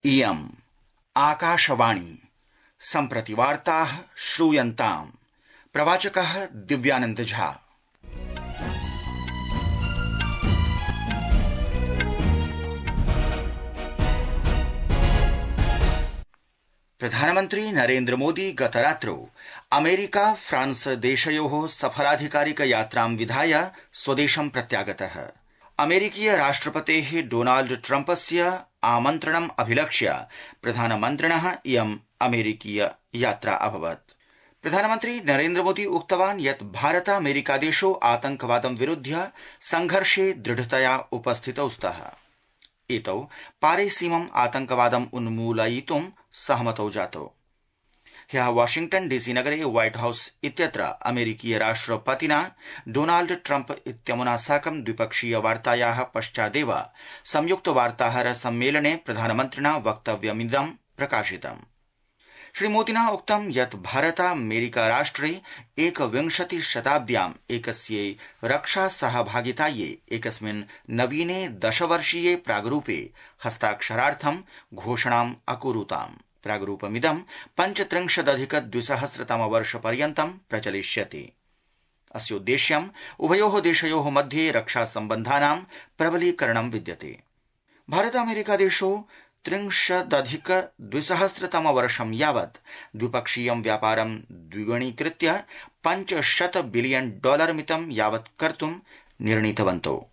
इयम् आकाशवाणी सम्प्रति वार्ताः श्रूयन्ताम्। प्रवाचकः दिव्यानंद झा। प्रधानमन्त्री नरेन्द्र मोदी गतरात्रौ अमेरिका फ्रांस देशयोः सफलाधिकारिक यात्रां विधाय स्वदेशं प्रत्यागतः। अमेरिकीय राष्ट्रपतेः डोनाल्ड ट्रम्पस्य आमन्त्रणम् अभिलक्ष्य प्रधानमन्त्रिणः इयम् अमेरिकीय यात्रा अभवत्। प्रधानमन्त्री नरेन्द्र मोदी उक्तवान् यत् भारत अमेरिकादेशौ आतंकवादं विरुध्य संघर्षे दृढतया उपस्थितौ स्तः। एतौ पारेसीमम् आतंकवादम् उन्मूलयितुं सहमतौ जातौ। ह्यः वाशिंग्टन डीसी नगरे व्हाइट हाउस इत्यत्र अमेरिकीय राष्ट्रपतिना डोनाल्ड ट्रम्प इत्यमुना साकं द्विपक्षीय वार्तायाः पश्चादेव संयुक्त वार्ताहर सम्मेलने प्रधानमन्त्रिणा वक्तव्यमिदं प्रकाशितम्। श्रीमोदिना उक्तं यत् भारत अमेरिका राष्ट्रे 21 शताब्द्याम् एकस्यै रक्षा सहभागितायै एकस्मिन् नवीने 10 वर्षीये प्राग्रूपे हस्ताक्षरार्थं घोषणाम् अकुरुताम्। प्राग्रूपमिदं 35,200 प्रचलिष्यति। अस्योद्देश्यम् उभयोः देशयोः मध्ये रक्षा सम्बन्धानां प्रबलीकरणं विद्यते। भारत अमेरिकादेशौ 30,200 यावत् द्विपक्षीयं व्यापारं द्विगुणीकृत्य $500 बिलियन मितं यावत् कर्तुं निर्णीतवन्तौ।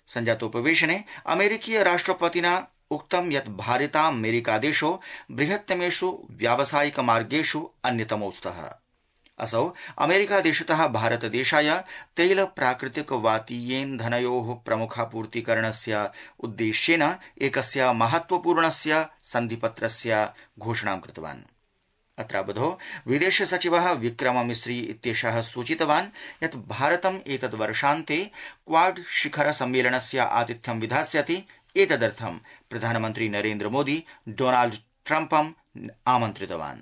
संजातोपवेशने अमेरिकीय राष्ट्रपतिना उक्तं यत् भारतामेरिकादेशौ बृहत्तमेषु व्यावसायिक मार्गेषु अन्यतमौ स्तः। असौ अमेरिकादेशतः भारतदेशाय तैल प्राकृतिक वातीयेन्धनयोः प्रमुखापूर्तिकरणस्य उद्देश्येन एकस्य महत्वपूर्णस्य सन्धिपत्रस्य घोषणां कृतवान्। अत्रावधौ विदेश सचिवः विक्रम मिस्री इत्येषः सूचितवान् यत् भारतम् एतद्वर्षान्ते क्वाड शिखर सम्मेलनस्य आतिथ्यं विधास्यति। एतदर्थं प्रधानमन्त्री नरेन्द्र मोदी डोनाल्ड ट्रम्पम् आमन्त्रितवान्।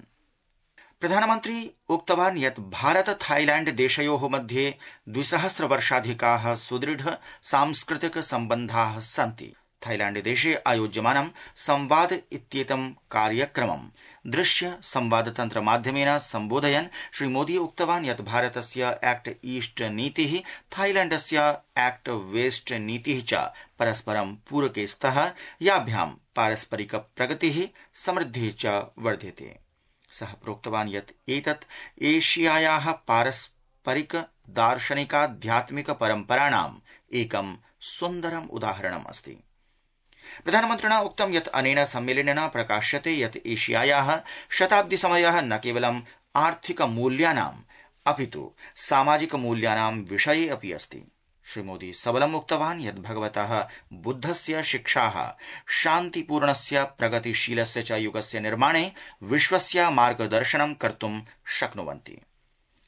प्रधानमन्त्री उक्तवान् यत् भारत थाईलैंड देशयोः मध्ये 200 वर्षाधिकाः सुदृढ सांस्कृतिक सम्बन्धाः सन्ति। थाईलैंड देशे आयोज्यमानं संवाद इत्येतं कार्यक्रमं दृश्य संवादतन्त्र माध्यमेन सम्बोधयन् श्रीमोदी उक्तवान् यत् भारतस्य एक्ट ईस्ट नीतिः थाईलैंडस्य एक्ट वेस्ट नीतिः च परस्परं पूरके स्तः, याभ्यां पारस्परिक प्रगतिः समृद्धिः च वर्ध्यते। सः प्रोक्तवान् यत् एतत् एशियायाः पारस्परिक दार्शनिकाध्यात्मिक परम्पराणाम् एकं सुन्दरम् उदाहरणम् अस्ति। प्रधानमन्त्रिणा उक्तं यत् अनेन सम्मेलनेन प्रकाश्यते यत् एशियायाः शताब्दीसमयः न केवलम् आर्थिक मूल्यानाम् अपितु सामाजिक मूल्यानां विषये अपि अस्ति। श्रीमोदी सबलम् उक्तवान् यत् भगवतः बुद्धस्य शिक्षाः शान्तिपूर्णस्य प्रगतिशीलस्य च युगस्य निर्माणे विश्वस्य मार्गदर्शनं कर्तुं शक्नुवन्ति।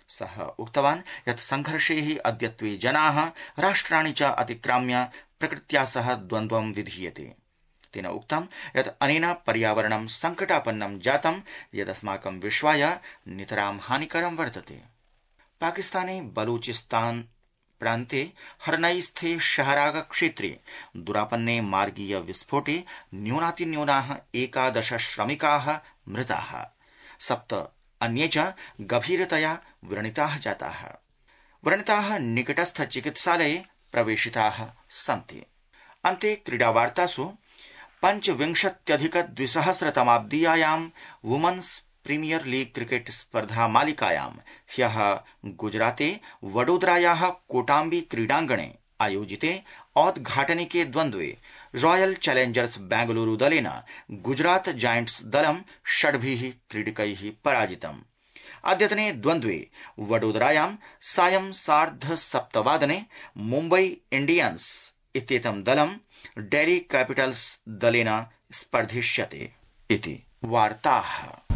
सः उक्तवान् यत् संघर्षे अद्यत्वे जनाः राष्ट्राणि च अतिक्राम्य प्रकृत्या सह द्वन्द्वं विधीयते। तेन उक्तं यत् अनेन पर्यावरणं संकटापन्नं जातं यदस्माकं विश्वाय नितरां हानिकरं वर्तते। पाकिस्ताने बलूचिस्तान प्रान्ते हरनई-स्थे शहराग क्षेत्रे दुरापन्ने मार्गीय विस्फोटे न्यूनातिन्यूनाः 11 श्रमिकाः मृताः, 7 अन्ये च गभीरतया व्रणिताः जाताः। व्रणिताः निकटस्थ चिकित्सालये प्रवेशिताः सन्ति। अन्ते क्रीडावार्तासु 25,200 वुमन्स् प्रीमियर लीग क्रिकेट स्पर्धा मालिकायां ह्यः गुजराते वडोदरायाः कोटाम्बी क्रीडाङ्गणे आयोजिते औद्घाटनिके द्वन्द्वे रॉयल चैलेंजर्स बेंगलुरु दलेन गुजरात जायंट्स दलं 6 क्रीडकैः पराजितम्। अद्यतने द्वन्द्वे वडोदरायां सायं 7:30 मुम्बई इंडियन्स इत्येतं दलं डेल्ही कैपिटल्स दलेन स्पर्धिष्यते इति वार्ताः।